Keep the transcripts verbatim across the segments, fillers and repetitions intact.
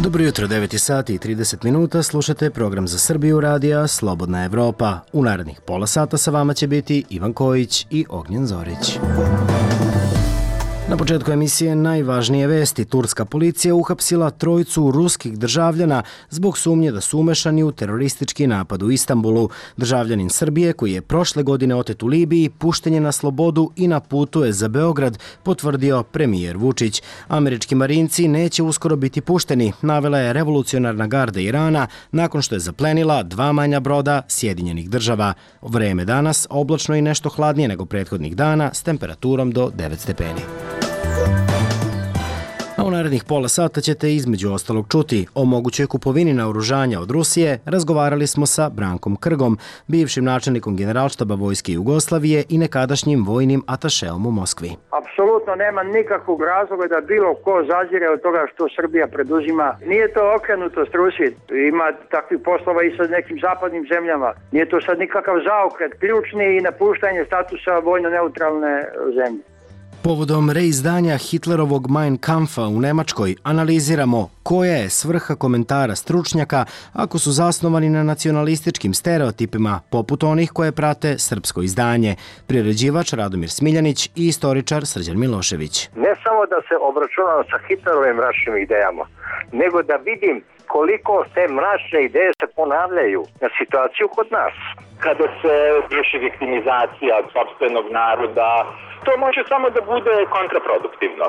Dobro jutro, devet sati i trideset minuta, slušate program za Srbiju radija Slobodna Evropa. U narednih pola sata sa vama će biti Ivan Kojić i Ognjen Zorić. Na početku emisije najvažnije vesti. Turska policija uhapsila trojicu ruskih državljana zbog sumnje da su umešani u teroristički napad u Istanbulu. Državljanin Srbije, koji je prošle godine otet u Libiji, pušten je na slobodu i na putu je za Beograd, potvrdio premijer Vučić. Američki marinci neće uskoro biti pušteni, navela je revolucionarna garda Irana nakon što je zaplenila dva manja broda Sjedinjenih država. Vreme danas oblačno i nešto hladnije nego prethodnih dana s temperaturom do devet stepeni. A u narednih pola sata ćete između ostalog čuti o mogućoj kupovini naoružanja od Rusije. Razgovarali smo sa Brankom Krgom, bivšim načelnikom Generalštaba Vojske Jugoslavije i nekadašnjim vojnim atašeom u Moskvi. Apsolutno nema nikakvog razloga da bilo ko zazire od toga što Srbija preduzima. Nije to okrenutost Rusiji, ima takvih poslova i sa nekim zapadnim zemljama. Nije to sad nikakav zaokret, ključni i napuštanje statusa vojno neutralne zemlje. Povodom reizdanja Hitlerovog Mein Kampfa u Nemačkoj analiziramo koja je svrha komentara stručnjaka ako su zasnovani na nacionalističkim stereotipima poput onih koje prate srpsko izdanje. Priređivač Radomir Smiljanić i istoričar Srđan Milošević. Ne samo da se obračunam sa Hitlerovim mračnim idejama, nego da vidim koliko te mračne ideje se ponavljaju na situaciju kod nas. Kada se vrši viktimizacija sopstvenog naroda, to može samo da bude kontraproduktivno.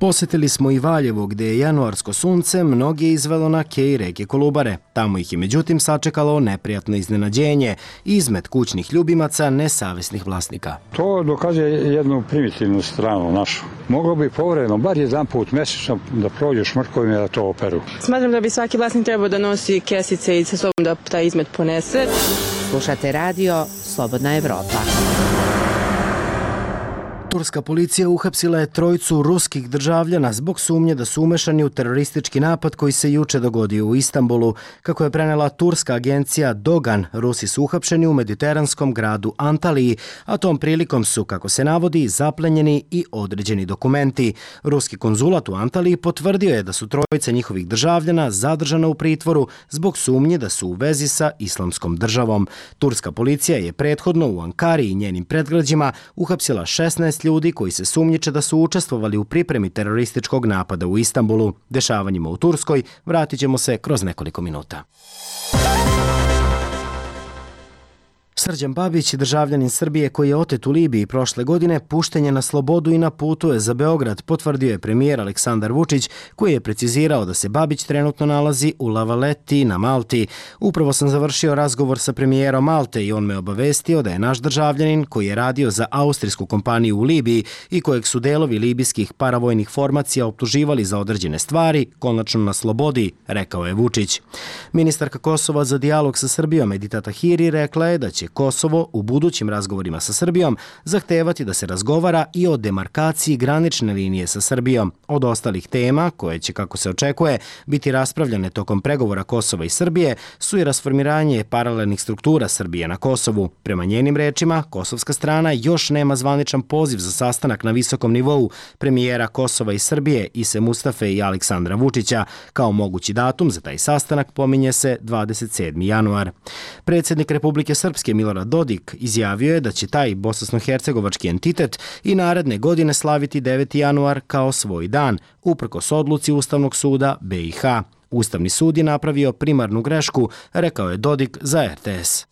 Posetili smo i Valjevo, gde je januarsko sunce mnoge izvelo na kej reke Kolubare. Tamo ih je međutim sačekalo neprijatno iznenađenje, izmet kućnih ljubimaca nesavesnih vlasnika. To dokazuje jednu primitivnu stranu našu. Moglo bi povremeno, bar jedan put mesečno, da prođu šmrkovima da to operu. Smatram da bi svaki vlasnik trebao da nosi kesice i sa sobom da taj izmet ponese. Slušate radio Slobodna Evropa. Turska policija uhapsila je trojicu ruskih državljana zbog sumnje da su umešani u teroristički napad koji se juče dogodio u Istanbulu. Kako je prenela turska agencija Dogan, Rusi su uhapšeni u mediteranskom gradu Antaliji, a tom prilikom su, kako se navodi, zaplenjeni i određeni dokumenti. Ruski konzulat u Antaliji potvrdio je da su trojica njihovih državljana zadržana u pritvoru zbog sumnje da su u vezi sa islamskom državom. Turska policija je prethodno u Ankari i njenim predgrađima uhapsila šesnaest ljudi koji se sumnjiče da su učestvovali u pripremi terorističkog napada u Istanbulu. Dešavanjima u Turskoj vratit ćemo se kroz nekoliko minuta. Srđan Babić, državljanin Srbije koji je otet u Libiji prošle godine, pušten je na slobodu i na putu je za Beograd, potvrdio je premijer Aleksandar Vučić, koji je precizirao da se Babić trenutno nalazi u La Valletti na Malti. Upravo sam završio razgovor sa premijerom Malte i on me obavestio da je naš državljanin, koji je radio za austrijsku kompaniju u Libiji i kojeg su delovi libijskih paravojnih formacija optuživali za određene stvari, konačno na slobodi, rekao je Vučić. Ministarka Kosova za dijalog sa Srbijom Edita Tahiri rekla je da će Kosovo u budućim razgovorima sa Srbijom zahtevati da se razgovara i o demarkaciji granične linije sa Srbijom. Od ostalih tema, koje će, kako se očekuje, biti raspravljane tokom pregovora Kosova i Srbije, su i rasformiranje paralelnih struktura Srbije na Kosovu. Prema njenim rečima, kosovska strana još nema zvaničan poziv za sastanak na visokom nivou premijera Kosova i Srbije Ise Mustafe i Aleksandra Vučića. Kao mogući datum za taj sastanak pominje se dvadeset sedmi januar. Predsjednik Republike Srpske Milorad Dodik izjavio je da će taj bosansko-hercegovački entitet i naredne godine slaviti deveti januar kao svoj dan, uprkos odluci Ustavnog suda be i ha. Ustavni sud je napravio primarnu grešku, rekao je Dodik za er te es.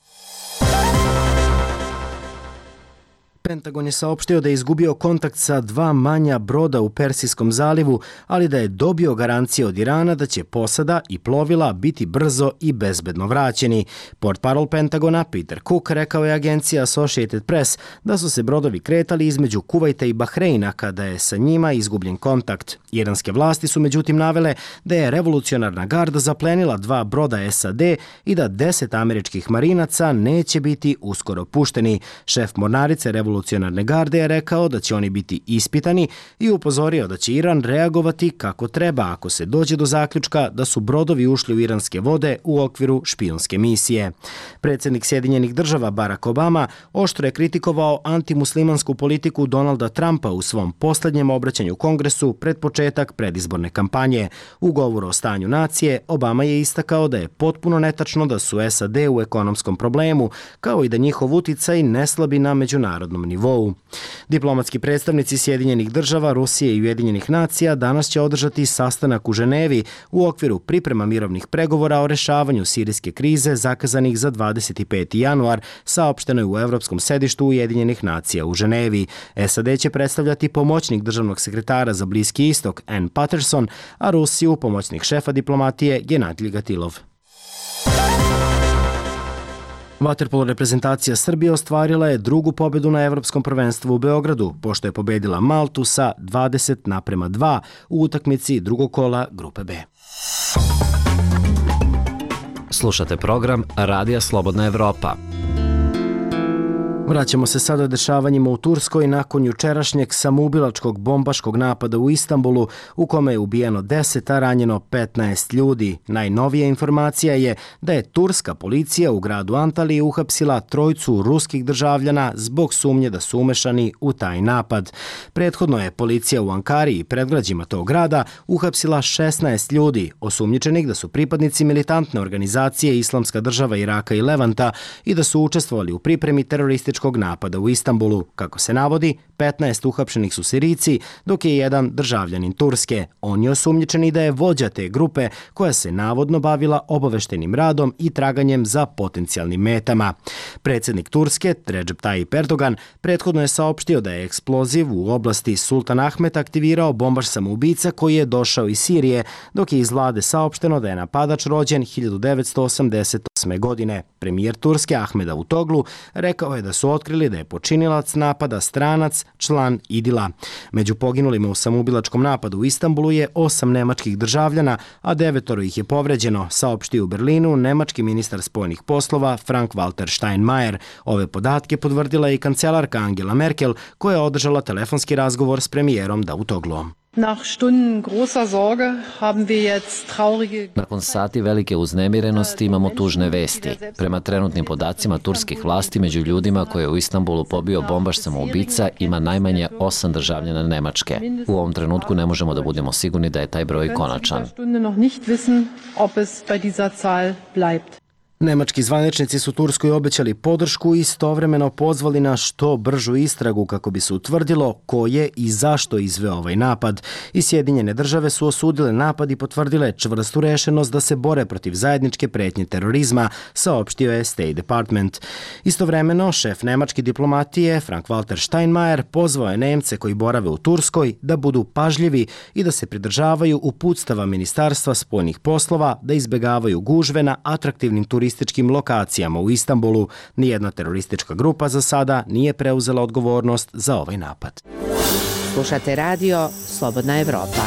Pentagon je saopštio da je izgubio kontakt sa dva manja broda u Persijskom zalivu, ali da je dobio garancije od Irana da će posada i plovila biti brzo i bezbedno vraćeni. Portparol Pentagona Peter Cook rekao je agenciji Associated Press da su se brodovi kretali između Kuvajta i Bahreina kada je sa njima izgubljen kontakt. Iranske vlasti su međutim navele da je revolucionarna garda zaplenila dva broda es a de i da deset američkih marinaca neće biti uskoro pušteni. Šef mornarice revolucionarne revolucionarne garde je rekao da će oni biti ispitani i upozorio da će Iran reagovati kako treba ako se dođe do zaključka da su brodovi ušli u iranske vode u okviru špijunske misije. Predsjednik Sjedinjenih država Barack Obama oštro je kritikovao antimuslimansku politiku Donalda Trumpa u svom posljednjem obraćanju Kongresu pred početak predizborne kampanje. U govoru o stanju nacije Obama je istakao da je potpuno netačno da su S A D u ekonomskom problemu, kao i da njihov uticaj ne slabi na međunarodnom nivou. Diplomatski predstavnici Sjedinjenih država, Rusije i Ujedinjenih nacija danas će održati sastanak u Ženevi u okviru priprema mirovnih pregovora o rešavanju sirijske krize zakazanih za dvadeset peti januar, saopšteno je u Evropskom sedištu Ujedinjenih nacija u Ženevi. S A D će predstavljati pomoćnik državnog sekretara za Bliski istok Ann Patterson, a Rusiju pomoćnik šefa diplomatije Genadij Gatilov. Vaterpolo reprezentacija Srbije ostvarila je drugu pobedu na Evropskom prvenstvu u Beogradu, pošto je pobedila Maltu sa dvadeset naprema dva u utakmici drugog kola Grupe B. Slušate program Radija Slobodna Evropa. Vraćamo se sada dešavanjima u Turskoj nakon jučerašnjeg samoubilačkog bombaškog napada u Istanbulu u kome je ubijeno deset, a ranjeno petnaest ljudi. Najnovija informacija je da je turska policija u gradu Antaliji uhapsila trojicu ruskih državljana zbog sumnje da su umešani u taj napad. Prethodno je policija u Ankari i predgrađima tog grada uhapsila šesnaest ljudi, osumnjičenih da su pripadnici militantne organizacije Islamska država Iraka i Levanta i da su učestvovali u pripremi terorističkog napada u Istanbulu. Kako se navodi, petnaest uhapšenih su Sirijci, dok je jedan državljanin Turske. On je osumnjičen da je vođa te grupe koja se navodno bavila obaveštenim radom i traganjem za potencijalnim metama. Predsjednik Turske, Recep Tayyip Erdogan, prethodno je saopštio da je eksploziv u oblasti Sultan Ahmet aktivirao bombaš samoubica koji je došao iz Sirije, dok je iz vlade saopšteno da je napadač rođen hiljadu devetsto osamdeset osme. godine. Premijer Turske Ahmed Davutoglu rekao je da su otkrili da je počinilac napada stranac, član Idila. Među poginulima u samoubilačkom napadu u Istanbulu je osam nemačkih državljana, a devetoro ih je povređeno, saopštio u Berlinu nemački ministar spoljnih poslova Frank-Walter Steinmeier. Ove podatke potvrdila i kancelarka Angela Merkel, koja je održala telefonski razgovor s premijerom Davutogluom. Nakon sati velike uznemirenosti imamo tužne vesti. Prema trenutnim podacima turskih vlasti, među ljudima koje je u Istanbulu pobio bombaš samoubica ima najmanje osam državljana Nemačke. U ovom trenutku ne možemo da budemo sigurni da je taj broj konačan. Nemački zvaničnici su Turskoj obećali podršku i istovremeno pozvali na što bržu istragu kako bi se utvrdilo ko je i zašto izveo ovaj napad. I Sjedinjene države su osudile napad i potvrdile čvrstu rešenost da se bore protiv zajedničke pretnje terorizma, saopštio je State Department. Istovremeno, šef nemačke diplomatije Frank-Walter Steinmeier pozvao je Nemce koji borave u Turskoj da budu pažljivi i da se pridržavaju uputstava Ministarstva spoljnih poslova, da izbegavaju gužve na atraktivnim turističkim lokacijama u Istanbulu. Nijedna teroristička grupa za sada nije preuzela odgovornost za ovaj napad. Slušate radio Slobodna Evropa.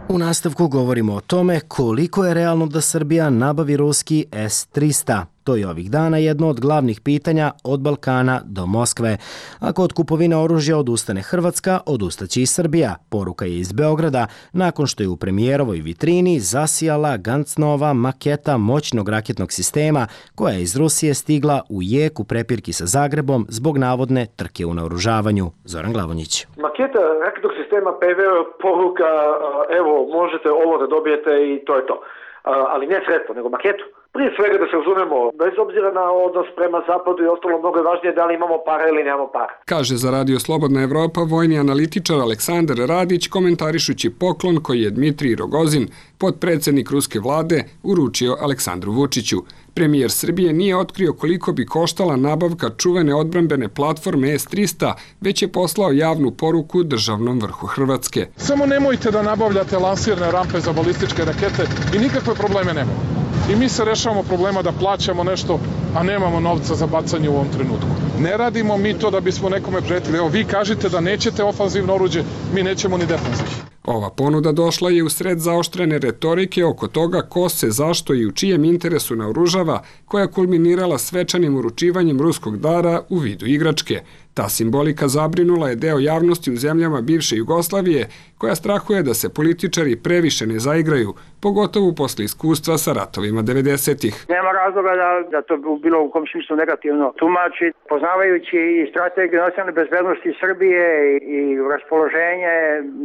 U nastavku govorimo o tome koliko je realno da Srbija nabavi ruski S tristo. To je ovih dana jedno od glavnih pitanja od Balkana do Moskve. Ako od kupovine oružja odustane Hrvatska, odustaće i Srbija. Poruka je iz Beograda, nakon što je u premijerovoj vitrini zasijala Gancnova maketa moćnog raketnog sistema koja je iz Rusije stigla u jeku prepirki sa Zagrebom zbog navodne trke u naoružavanju. Zoran Glavonjić. Maketa raketnog sistema P V O poruka, evo možete ovo da dobijete i to je to. Ali ne sredstvo, nego maketu. Prije svega da se razumemo, bez obzira na odnos prema zapadu i ostalo, mnogo je važnije da li imamo para ili nemamo para. Kaže za Radio Slobodna Evropa vojni analitičar Aleksandar Radić komentarišući poklon koji je Dmitrij Rogozin, potpredsjednik ruske vlade, uručio Aleksandru Vučiću. Premijer Srbije nije otkrio koliko bi koštala nabavka čuvene odbrambene platforme S tristo, već je poslao javnu poruku državnom vrhu Hrvatske. Samo nemojte da nabavljate lansirne rampe za balističke rakete i nikakve probleme nemamo. I mi se rešavamo problema da plaćamo nešto, a nemamo novca za bacanje u ovom trenutku. Ne radimo mi to da bismo nekome pretili. Evo, vi kažete da nećete ofanzivno oruđe, mi nećemo ni defanzivno. Ova ponuda došla je u sred zaoštrene retorike oko toga ko se, zašto i u čijem interesu naoružava, koja kulminirala svečanim uručivanjem ruskog dara u vidu igračke. Ta simbolika zabrinula je deo javnosti u zemljama bivše Jugoslavije, koja strahuje da se političari previše ne zaigraju, pogotovo posle iskustva sa ratovima devedesetih. Nema razloga da, da to bilo u kom smislu negativno tumači, poznavajući i strategiju nacionalne bezbednosti Srbije i raspoloženje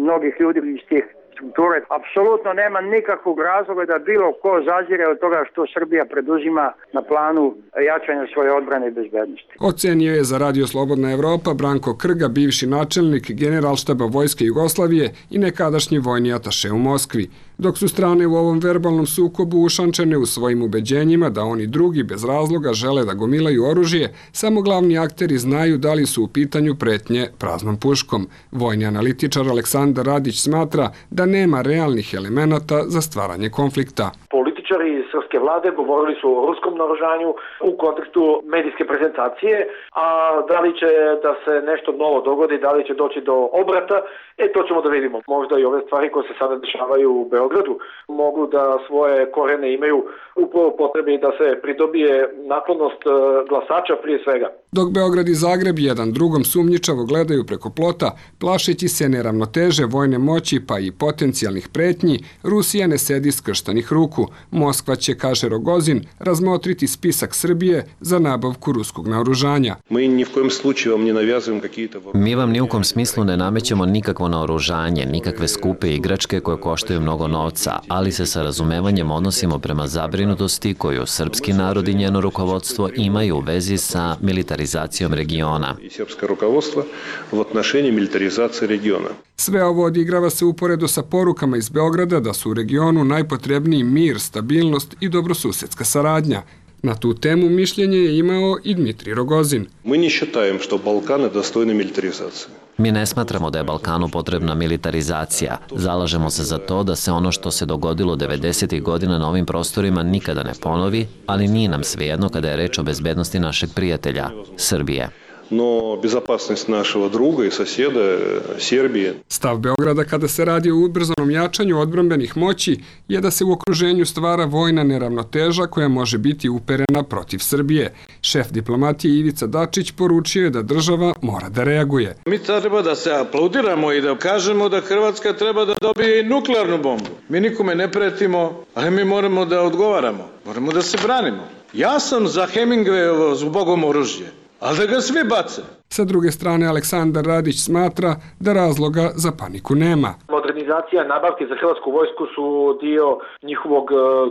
mnogih ljudi iz tih strukture. Apsolutno nema nikakvog razloga da bilo ko zazire od toga što Srbija preduzima na planu jačanja svoje odbrane i bezbednosti. Ocenio je za Radio Slobodna Evropa Branko Krga, bivši načelnik Generalštaba Vojske Jugoslavije i nekadašnji vojni ataše u Moskvi. Dok su strane u ovom verbalnom sukobu ušančene u svojim ubeđenjima da oni drugi bez razloga žele da gomilaju oružje, samo glavni akteri znaju da li su u pitanju pretnje praznom puškom. Vojni analitičar Aleksandar Radić smatra da nema realnih elemenata za stvaranje konflikta. Političari srpske vlade govorili su o ruskom naoružanju u kontekstu medijske prezentacije, a da li će da se nešto novo dogodi, da li će doći do obrata, e to ćemo da vidimo. Možda i ove stvari koje se sada dešavaju u Beogradu mogu da svoje korene imaju upravo potrebi da se pridobije naklonost glasača prije svega. Dok Beograd i Zagreb jedan drugom sumnjičavo gledaju preko plota, plašeći se neravnoteže vojne moći pa i potencijalnih pretnji, Rusija ne sedi skrštanih ruku. Moskva će, kaže Rogozin, razmotriti spisak Srbije za nabavku ruskog naoružanja. Mi vam ni u kom smislu ne namećemo nikakvo naoružanje, nikakve skupe igračke koje koštaju mnogo novca, ali se sa razumevanjem odnosimo prema zabrinutosti koju srpski narod i njeno rukovodstvo imaju u vezi sa militarizacijom regiona. Sve ovo odigrava se uporedo sa porukama iz Beograda da su u regionu najpotrebniji mir, stabilnost i dobrosusedska saradnja. Na tu temu mišljenje je imao i Dmitrij Rogozin. Mi ne smatramo da je Balkanu potrebna militarizacija. Zalažemo se za to da se ono što se dogodilo devedesetih godina na ovim prostorima nikada ne ponovi, ali nije nam svejedno kada je reč o bezbednosti našeg prijatelja, Srbije. No bezopasnost našeg druga i susjeda Srbije. Stav Beograda kada se radi o ubrzanom jačanju odbrambenih moći je da se u okruženju stvara vojna neravnoteža koja može biti uperena protiv Srbije. Šef diplomatije Ivica Dačić poručio je da država mora da reaguje. Mi treba da se aplaudiramo i da kažemo da Hrvatska treba da dobije i nuklearnu bombu. Mi nikome ne pretimo, ali mi moramo da odgovaramo. Moramo da se branimo. Ja sam za Hemingwayovo zbogom oružje. Ali da ga svi bace. Sa druge strane, Aleksandar Radić smatra da razloga za paniku nema. Modernizacija nabavke za hrvatsku vojsku su dio njihovog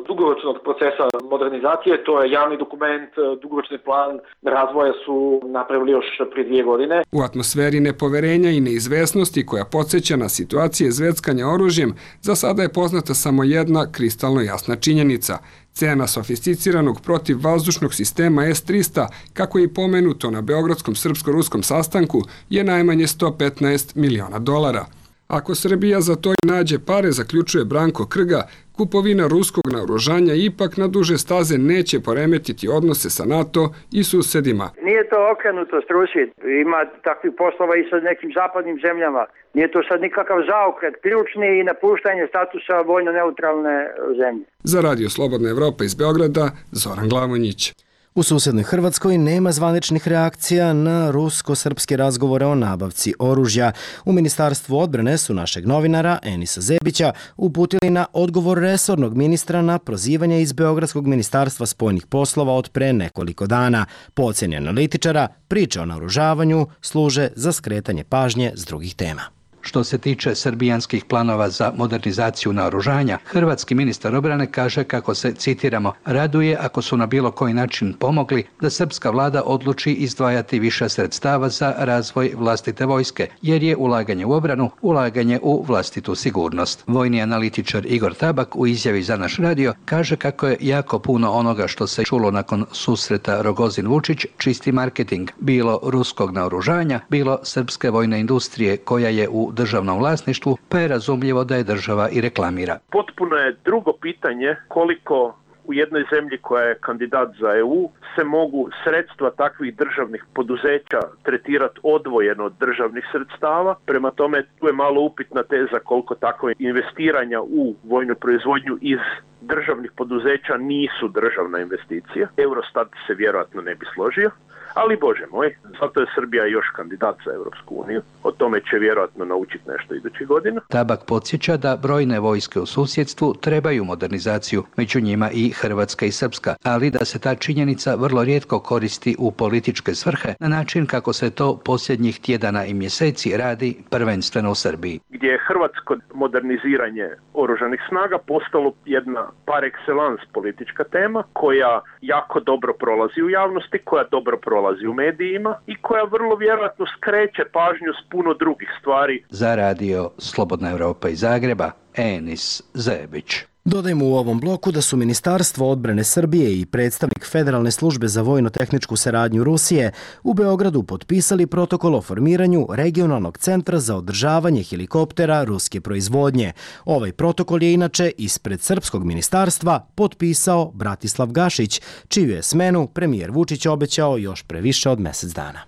dugoročnog procesa modernizacije. To je javni dokument, dugoročni plan razvoja su napravili još prije dvije godine. U atmosferi nepoverenja i neizvesnosti koja podsjeća na situacije zveckanja oružjem, za sada je poznata samo jedna kristalno jasna činjenica. Cena sofisticiranog protivvazdušnog sistema S trista, kako je i pomenuto na Beogradskom srpsko-ruskom sastanku, je najmanje sto petnaest miliona dolara. Ako Srbija za to i nađe pare, zaključuje Branko Krga, kupovina ruskog naoružanja ipak na duže staze neće poremetiti odnose sa NATO i susedima. Nije to okrenuto Rusiji. Ima takvih poslova i sa nekim zapadnim zemljama. Nije to sad nikakav zaokret, ključni i napuštanje statusa vojno-neutralne zemlje. Za Radio Slobodna Evropa iz Beograda, Zoran Glavonjić. U susednoj Hrvatskoj nema zvaničnih reakcija na rusko-srpske razgovore o nabavci oružja. U Ministarstvu odbrane su našeg novinara Enisa Zebića uputili na odgovor resornog ministra na prozivanje iz Beogradskog ministarstva spoljnih poslova od pre nekoliko dana. Po oceni analitičara, priče o naoružavanju služe za skretanje pažnje s drugih tema. Što se tiče srbijanskih planova za modernizaciju naoružanja, hrvatski ministar obrane kaže kako se, citiramo, raduje ako su na bilo koji način pomogli da srpska vlada odluči izdvajati više sredstava za razvoj vlastite vojske, jer je ulaganje u obranu ulaganje u vlastitu sigurnost. Vojni analitičar Igor Tabak u izjavi za naš radio kaže kako je jako puno onoga što se čulo nakon susreta Rogozin-Vučić čisti marketing, bilo ruskog naoružanja, bilo srpske vojne industrije koja je u državnom vlasništvu, pa je razumljivo da je država i reklamira. Potpuno je drugo pitanje koliko u jednoj zemlji koja je kandidat za E U se mogu sredstva takvih državnih poduzeća tretirati odvojeno od državnih sredstava. Prema tome, tu je malo upitna teza koliko takve investiranja u vojnu proizvodnju iz državnih poduzeća nisu državna investicija. Eurostat se vjerojatno ne bi složio. Ali Bože moj, zato je Srbija još kandidat za Europsku uniju. O tome će vjerojatno naučiti nešto idućih godina. Tabak podsjeća da brojne vojske u susjedstvu trebaju modernizaciju, među njima i Hrvatska i Srpska, ali da se ta činjenica vrlo rijetko koristi u političke svrhe na način kako se to posljednjih tjedana i mjeseci radi prvenstveno u Srbiji. Gdje je hrvatsko moderniziranje oružanih snaga postalo jedna par excellence politička tema koja jako dobro prolazi u javnosti, koja dobro prolazi u medijima i koja vrlo vjerojatno skreće pažnju s puno drugih stvari. Za radio Slobodna Evropa iz Zagreba, Enis Zebić. Dodajmo u ovom bloku da su Ministarstvo odbrane Srbije i predstavnik Federalne službe za vojno-tehničku saradnju Rusije u Beogradu potpisali protokol o formiranju regionalnog centra za održavanje helikoptera ruske proizvodnje. Ovaj protokol je inače ispred srpskog ministarstva potpisao Bratislav Gašić, čiju je smenu premijer Vučić obećao još pre više od mjesec dana.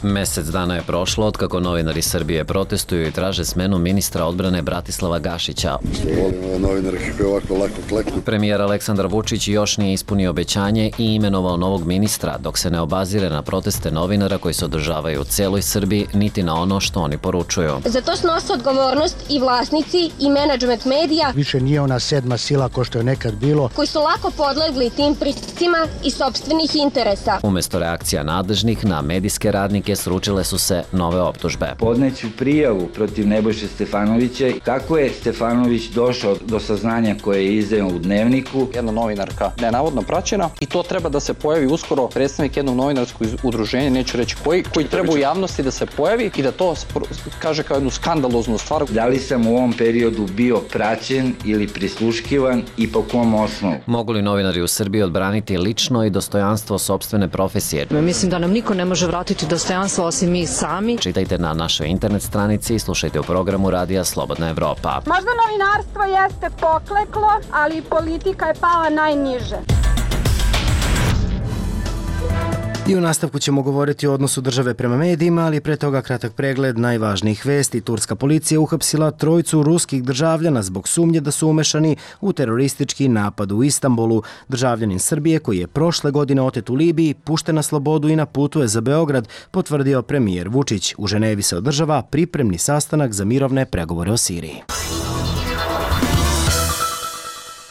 Mesec dana je prošlo od kako novinari Srbije protestuju i traže smenu ministra odbrane Bratislava Gašića. Premijer Aleksandar Vučić još nije ispunio obećanje i imenovao novog ministra, dok se ne obazire na proteste novinara koji se održavaju u celoj Srbiji, niti na ono što oni poručuju. Za to snose odgovornost i vlasnici i menadžment medija. Više nije ona sedma sila ko što je nekad bilo. Koji su lako podlegli tim pritiscima i sopstvenih interesa. Umesto reakcija nadležnih na medijske radnike sručile su se nove optužbe. Podneću prijavu protiv Nebojše Stefanovića. Kako je Stefanović došao do saznanja koje je izdao u Dnevniku? Jedna novinarka nenavodno praćena i to treba da se pojavi uskoro predstavnik jednog novinarskog udruženja, neću reći koji, koji treba u javnosti da se pojavi i da to kaže kao jednu skandaloznu stvar. Da li sam u ovom periodu bio praćen ili prisluškivan i po kom osnovu? Mogu li novinari u Srbiji odbraniti lično i dostojanstvo sopstvene profesije? Mislim da nam niko ne može vratiti dostojanstvo osim mi sami. Čitajte na našoj internet stranici i slušajte u programu Radija Slobodna Evropa. Možda novinarstvo jeste pokleklo, ali politika je pala najniže. I u nastavku ćemo govoriti o odnosu države prema medijima, ali pre toga kratak pregled najvažnijih vesti. Turska policija uhapsila trojicu ruskih državljana zbog sumnje da su umešani u teroristički napad u Istanbulu. Državljanin Srbije koji je prošle godine otet u Libiji, pušten na slobodu i na putu je za Beograd, potvrdio premijer Vučić. U Ženevi se održava pripremni sastanak za mirovne pregovore o Siriji.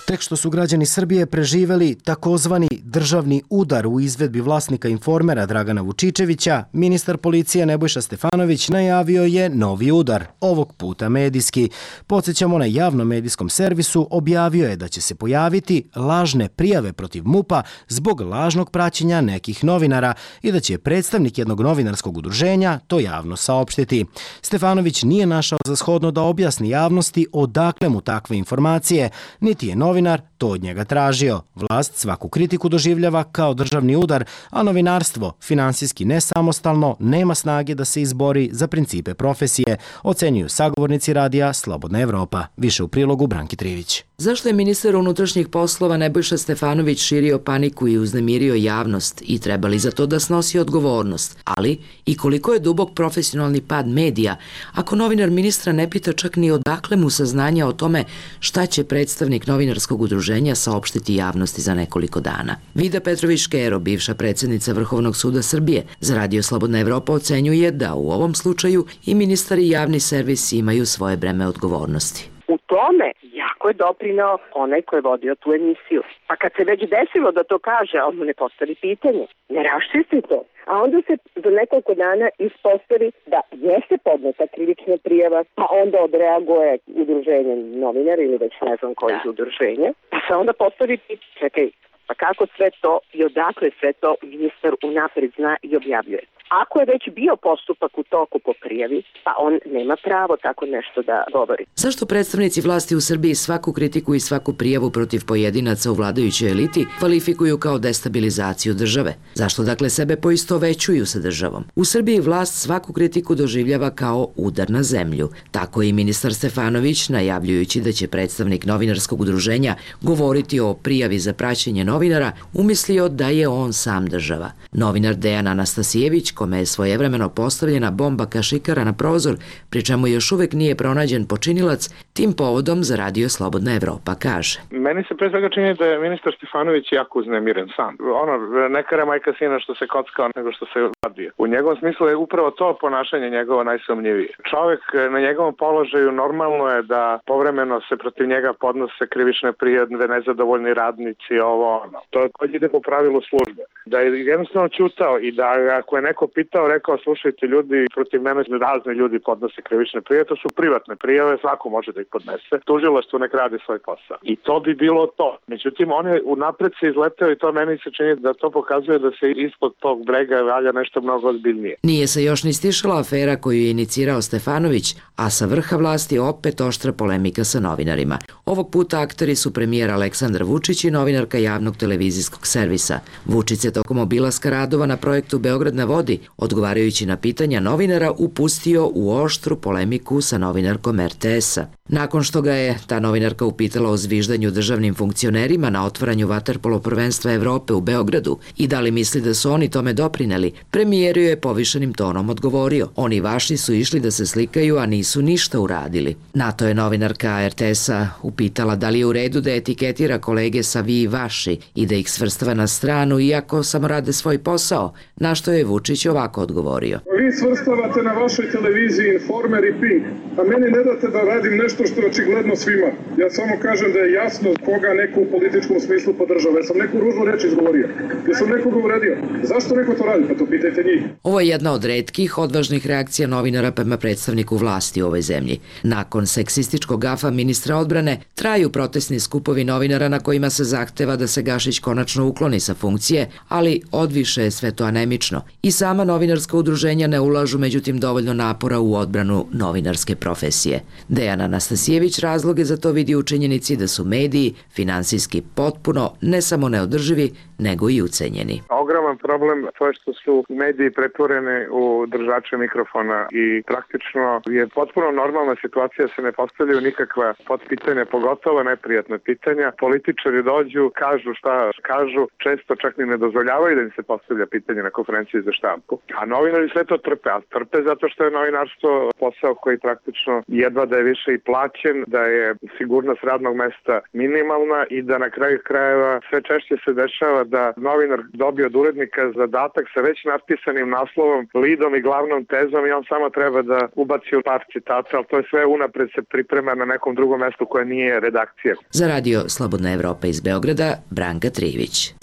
Tek što su građani Srbije preživeli takozvani državni udar u izvedbi vlasnika Informera Dragana Vučičevića, ministar policije Nebojša Stefanović najavio je novi udar, ovog puta medijski. Podsjećamo, na javnom medijskom servisu objavio je da će se pojaviti lažne prijave protiv MUP-a zbog lažnog praćenja nekih novinara i da će predstavnik jednog novinarskog udruženja to javno saopštiti. Stefanović nije našao za shodno da objasni javnosti odakle mu takve informacije, niti je novinar to od njega tražio. Vlast svaku kritiku doživljava kao državni udar, a novinarstvo, finansijski nesamostalno, nema snage da se izbori za principe profesije, ocenjuju sagovornici radija Slobodna Evropa. Više u prilogu Branki Trivić. Zašto je ministar unutrašnjih poslova Nebojša Stefanović širio paniku i uznemirio javnost i treba li za to da snosi odgovornost? Ali i koliko je dubok profesionalni pad medija ako novinar ministra ne pita čak ni odakle mu saznanja o tome šta će predstavnik novinarskog udruženja saopštiti javnosti za nekoliko dana. Vida Petrović-Škero, bivša predsjednica Vrhovnog suda Srbije, za Radio Slobodna Evropa ocenjuje da u ovom slučaju i ministar i javni servis imaju svoje breme odgovornosti. U tome jako je doprinao onaj ko je vodio tu emisiju. Pa kad se već desilo da to kaže, on mu ne postavi pitanje, ne raščisti to. A onda se za nekoliko dana ispostavi da jeste podneta krivična prijava, pa onda odreaguje udruženje novinara ili već ne znam koji iz udruženja. Pa se onda postavi pitanje, čekaj, pa kako sve to i odakle sve to ministar unapred zna i objavljuje. Ako je već bio postupak u toku po prijavi, pa on nema pravo tako nešto da govori. Zašto predstavnici vlasti u Srbiji svaku kritiku i svaku prijavu protiv pojedinaca u vladajućoj eliti kvalifikuju kao destabilizaciju države? Zašto dakle sebe poistovećuju sa državom? U Srbiji vlast svaku kritiku doživljava kao udar na zemlju. Tako i ministar Stefanović, najavljujući da će predstavnik novinarskog udruženja govoriti o prijavi za praćenje novinara, umislio da je on sam država. Novinar Dejan Anastasijević, kome je svojevremeno postavljena bomba kašikara na prozor, pri čemu još uvek nije pronađen počinilac, tim povodom za Radio Slobodna Evropa kaže. Meni se pre svega čini da je ministar Stefanović jako uznemiren sam. Ono, neka je majka sina što se kockao nego što se vadio. U njegovom smislu je upravo to ponašanje njegovo najsumnjivije. Čovjek na njegovom položaju normalno je da povremeno se protiv njega podnose krivične prijave, nezadovoljni radnici, ovo ono. To ide po pravilu službe. Da je jednostavno ćutao i da ako je neko pitao, rekao, slušajte ljudi, protiv mene razni ljudi podnose krivične prijave, to su privatne prijave, svako može da ih podnese. Tužilaštvo nek radi svoj posao. I to bi bilo to. Međutim, on je unapred se izleteo i to meni se čini da to pokazuje da se ispod tog brega valja nešto mnogo ozbiljnije. Nije se još ni stišala afera koju je inicirao Stefanović, a sa vrha vlasti opet oštra polemika sa novinarima. Ovog puta akteri su premijer Aleksandar Vučić i novinarka javnog televizijskog servisa. Vučić se tokom obilaska radova na projektu Beograd na vodi, odgovarajući na pitanja novinara, upustio u oštru polemiku sa novinarkom er te esa. Nakon što ga je ta novinarka upitala o zviždanju državnim funkcionerima na otvaranju vaterpolo prvenstva Evrope u Beogradu i da li misli da su oni tome doprineli, premijer je povišenim tonom odgovorio: oni vaši su išli da se slikaju, a nisu ništa uradili. Na to je novinarka er te esa upitala da li je u redu da etiketira kolege sa vi i vaši i da ih svrstava na stranu iako samo rade svoj posao, na što je Vučić ovako odgovorio. Vi svrstavate na vašoj televiziji Informer i Pink, a meni ne date da radim nešto što je očigledno svima. Ja samo kažem da je jasno koga neko u političkom smislu podržava. Ja sam neku ružnu reč izgovorio. Ja sam nekoga uradio. Zašto neko to radi? Pa to pitajte njih. Ovo je jedna od retkih odvažnih reakcija novinara prema predstavniku vlasti u ovoj zemlji. Nakon seksističkog gafa ministra odbrane, traju protestni skupovi novinara na kojima se zahteva da se Gašić konačno ukloni sa funkcije, ali odviše je sve to anemično. I sama novinarska udruženja ne ulažu međutim dovoljno napora u odbranu novinarske profesije. Dejan Anastasijević razloge za to vidi u činjenici da su mediji finansijski potpuno ne samo neodrživi, nego i ucenjeni. Ogroman problem to je što su mediji pretvoreni u držače mikrofona i praktično je potpuno normalna situacija, se ne postavljaju nikakva potpitanja, pogotovo neprijatna pitanja. Političari dođu, kažu šta kažu, često čak ni ne dozvoljavaju da im se postavlja pitanje na konferenciji za štampu. A novinari sve to trpe, a trpe zato što je novinarstvo posao koji praktično jedva da je više i plaćen, da je sigurnost radnog mesta minimalna i da na kraju krajeva sve češće se dešava da novinar dobije od urednika zadatak sa već napisanim naslovom, lidom i glavnom tezom i on samo treba da ubaci par citata, ali to je sve unapred se priprema na nekom drugom mestu koje nije redakcija. Za Radio Slobodna Evropa iz Beograda, Branka Trivić.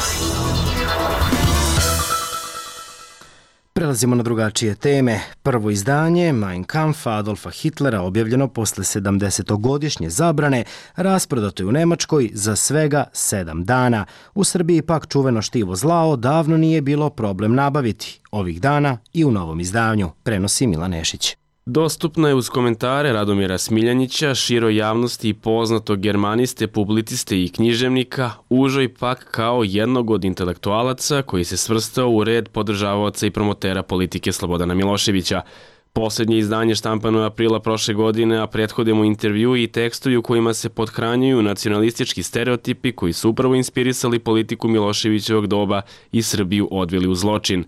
Prelazimo na drugačije teme. Prvo izdanje Mein Kampf Adolfa Hitlera, objavljeno posle sedamdesetogodišnje zabrane, rasprodato je u Nemačkoj za svega sedam dana. U Srbiji pak čuveno štivo zlao davno nije bilo problem nabaviti. Ovih dana i u novom izdanju, prenosi Milan Nešić. Dostupna je uz komentare Radomira Smiljanića, široj javnosti i poznatog germaniste, publiciste i književnika, užoj pak kao jednog od intelektualaca koji se svrstao u red podržavaoca i promotera politike Slobodana Miloševića. Poslednje izdanje štampano je aprila prošle godine, a prethode mu intervju i tekstovi u kojima se pothranjuju nacionalistički stereotipi koji su upravo inspirisali politiku Miloševićevog doba i Srbiju odveli u zločin.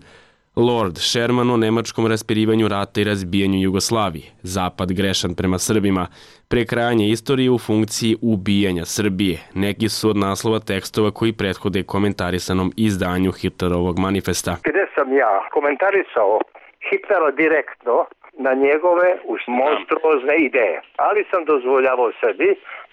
Lord Sherman o nemačkom raspirivanju rata i razbijanju Jugoslavije, Zapad grešan prema Srbima, prekrajanje istorije u funkciji ubijanja Srbije. Neki su od naslova tekstova koji prethode komentarisanom izdanju Hitlerovog manifesta. Gde sam ja komentarisao Hitlera direktno na njegove monstruozne ideje, ali sam dozvoljavao sebi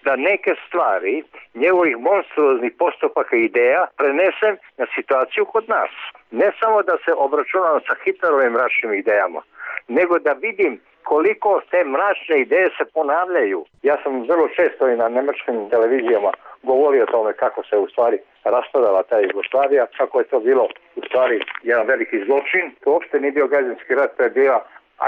da neke stvari njegovih monstruoznih postupaka i ideja prenesem na situaciju kod nas. Ne samo da se obračunam sa Hitlerovim mračnim idejama, nego da vidim koliko te mračne ideje se ponavljaju. Ja sam vrlo često i na nemačkim televizijama govorio o tome kako se u stvari raspadala ta Jugoslavija, kako je to bilo u stvari jedan veliki zločin. To uopšte nije bio građanski rat, to je bila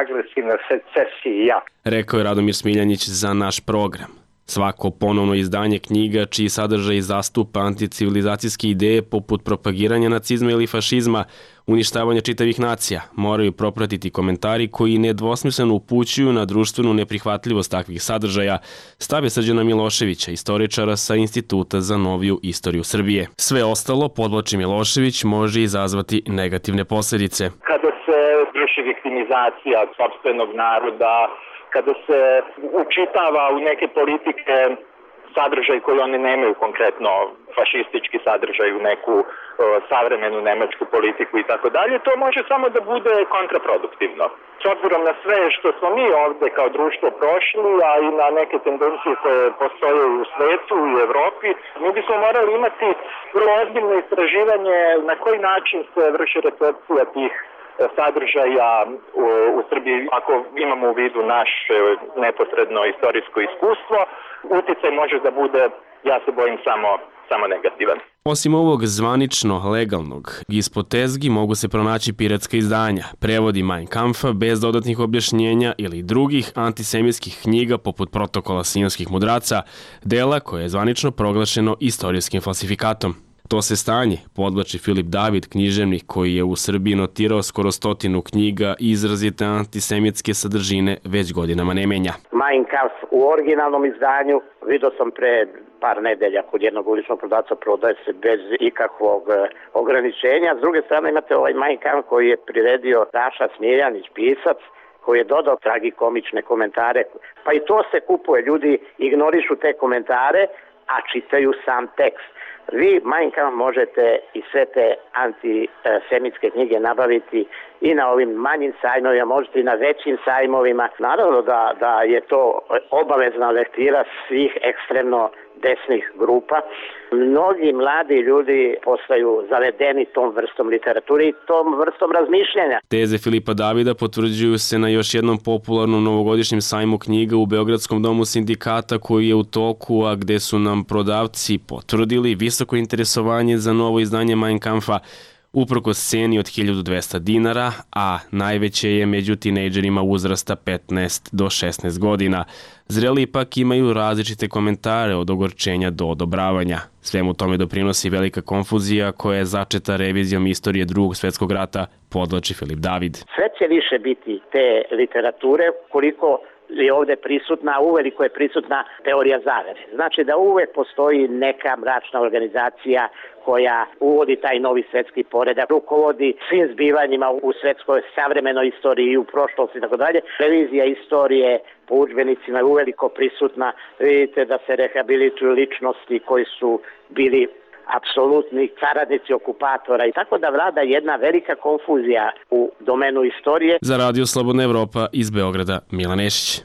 agresivna secesija. Rekao je Radomir Smiljanić za naš program. Svako ponovno izdanje knjiga čiji sadržaj zastupa anticivilizacijske ideje poput propagiranja nacizma ili fašizma, uništavanja čitavih nacija, moraju propratiti komentari koji nedvosmisleno upućuju na društvenu neprihvatljivost takvih sadržaja, stave Srđana Miloševića, istoričara sa Instituta za noviju istoriju Srbije. Sve ostalo, podvlači Milošević, može izazvati negativne posljedice. Kada se vrši viktimizacija sopstvenog naroda, kada se učitava u neke politike sadržaj koji oni nemaju, konkretno fašistički sadržaj u neku o, savremenu nemačku politiku i tako dalje, to može samo da bude kontraproduktivno. S obzirom na sve što smo mi ovde kao društvo prošli, a i na neke tendencije koje postoje u svetu i u Evropi, mi bismo morali imati vrlo ozbiljno istraživanje na koji način se vrši recepcija tih sadržaja u, u Srbiji, ako imamo u vidu naše neposredno istorijsko iskustvo, uticaj može da bude, ja se bojim, samo, samo negativan. Osim ovog zvanično legalnog, ispod tezgi mogu se pronaći piratska izdanja, prevodi Mein Kampfa bez dodatnih objašnjenja ili drugih antisemitskih knjiga poput Protokola sionskih mudraca, dela koje je zvanično proglašeno istorijskim falsifikatom. To se stanje podvlači Filip David, književnik koji je u Srbiji notirao skoro stotinu knjiga i izrazite antisemitske sadržine već godinama ne menja. Mein Kampf u originalnom izdanju vidio sam pre par nedelja kod jednog uličnog prodavca, prodaje se bez ikakvog ograničenja. S druge strane imate ovaj Mein Kampf koji je priredio Raša Smiljanić, pisac, koji je dodao tragikomične komentare. Pa i to se kupuje, ljudi ignorišu te komentare, a čitaju sam tekst. Vi Mein Kampf možete i sve te antisemitske knjige nabaviti i na ovim manjim sajmovima, možete i na većim sajmovima. Naravno da, da je to obavezna lektira svih ekstremno desnih grupa. Mnogi mladi ljudi postaju zavedeni tom vrstom literature i tom vrstom razmišljanja. Teze Filipa Davida potvrđuju se na još jednom popularnom novogodišnjem sajmu knjiga u Beogradskom domu sindikata koji je u toku, a gde su nam prodavci potvrdili visoko interesovanje za novo izdanje Mein Kampfa, uprkos ceni od hiljadu dvesta dinara, a najveće je među tinejdžerima uzrasta petnaest do šesnaest godina. Zreli ipak imaju različite komentare od ogorčenja do odobravanja. Svemu tome doprinosi velika konfuzija koja je začeta revizijom istorije Drugog svjetskog rata, podvlači Filip David. Sve će više biti te literature koliko je ovde prisutna, uveliko je prisutna teorija zavere. Znači da uvek postoji neka mračna organizacija koja uvodi taj novi svetski poredak, rukovodi svim zbivanjima u svetskoj savremenoj istoriji i u prošlosti i tako dalje. Revizija istorije po udžbenicima je uveliko prisutna. Vidite da se rehabilituju ličnosti koji su bili apsolutni saradnici okupatora i tako da vlada jedna velika konfuzija u domenu istorije. Za Radio Slobodna Evropa iz Beograda, Milan Nešić.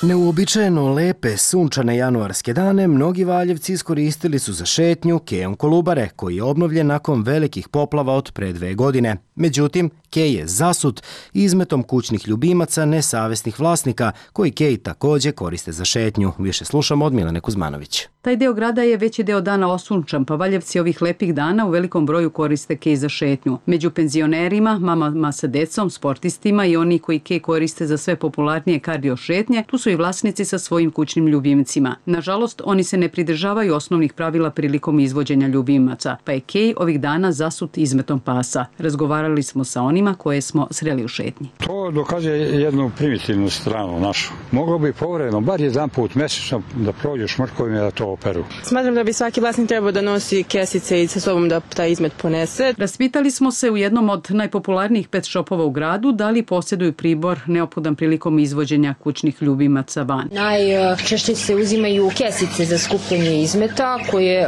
Neuobičajeno lepe sunčane januarske dane mnogi Valjevci iskoristili su za šetnju kejom Kolubare, koji je obnovljen nakon velikih poplava od pre dve godine. Međutim, kej je zasut izmetom kućnih ljubimaca nesavesnih vlasnika, koji kej takođe koriste za šetnju. Više slušamo od Milane Kuzmanović. Taj deo grada je veći deo dana osunčan, pa Valjevci ovih lepih dana u velikom broju koriste kej za šetnju. Među penzionerima, mamama sa decom, sportistima i oni koji kej koriste za sve popularnije kardio šetnje, tu su i vlasnici sa svojim kućnim ljubimcima. Nažalost, oni se ne pridržavaju osnovnih pravila prilikom izvođenja ljubimaca, pa je kej ovih dana zasut izmetom pasa. Razgovarali smo sa onima koje smo sreli u šetnji. To dokazuje jednu primitivnu stranu našu. Moglo bi povremeno, bar jedan put mesečno, da prođu šmrkovima da to operu. Smatram da bi svaki vlasnik trebao da nosi kesice i sa sobom da taj izmet ponese. Raspitali smo se u jednom od najpopularnijih pet shopova u gradu da li posjeduju pribor neophodan prilikom izvođenja kućnih ljubimaca van. Najčešće se uzimaju kesice za skupljanje izmeta koje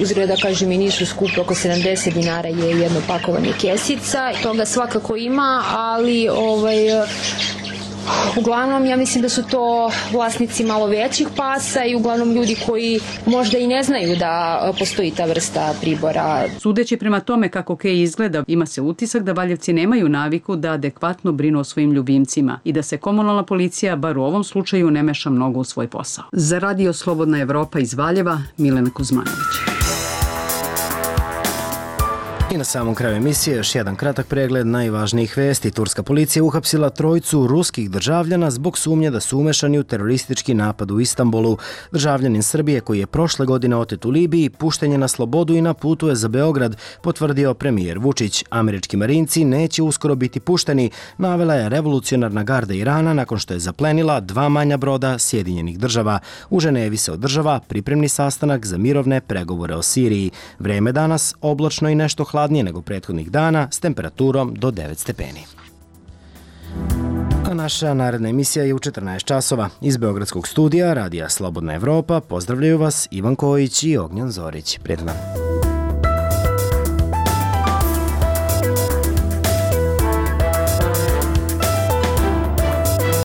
uzgleda, kažem, i nisu skupe, oko sedamdeset dinara je jedno pakovanje kesica. Toga svakako ima, ali ovaj, Uglavnom, ja mislim da su to vlasnici malo većih pasa i uglavnom ljudi koji možda i ne znaju da postoji ta vrsta pribora. Sudeći prema tome kako Kej izgleda, ima se utisak da Valjevci nemaju naviku da adekvatno brinu o svojim ljubimcima i da se komunalna policija, bar u ovom slučaju, ne meša mnogo u svoj posao. Za Radio Slobodna Evropa iz Valjeva, Milena Kuzmanović. I na samom kraju emisije još jedan kratak pregled najvažnijih vesti. Turska policija uhapsila trojicu ruskih državljana zbog sumnje da su umešani u teroristički napad u Istanbulu. Državljanin Srbije koji je prošle godine otet u Libiji pušten je na slobodu i na putu je za Beograd, potvrdio premijer Vučić. Američki marinci neće uskoro biti pušteni, navela je revolucionarna garda Irana nakon što je zaplenila dva manja broda Sjedinjenih država. U Ženevi se održava pripremni sastanak za mirovne pregovore o Siriji. Vreme danas oblačno i nešto hladnije nego prethodnih dana s temperaturom do devet stepeni. A naša naredna emisija je u četrnaest časova. Iz Beogradskog studija Radija Slobodna Evropa pozdravljaju vas Ivan Kojić i Ognjan Zorić. Prijetan dan.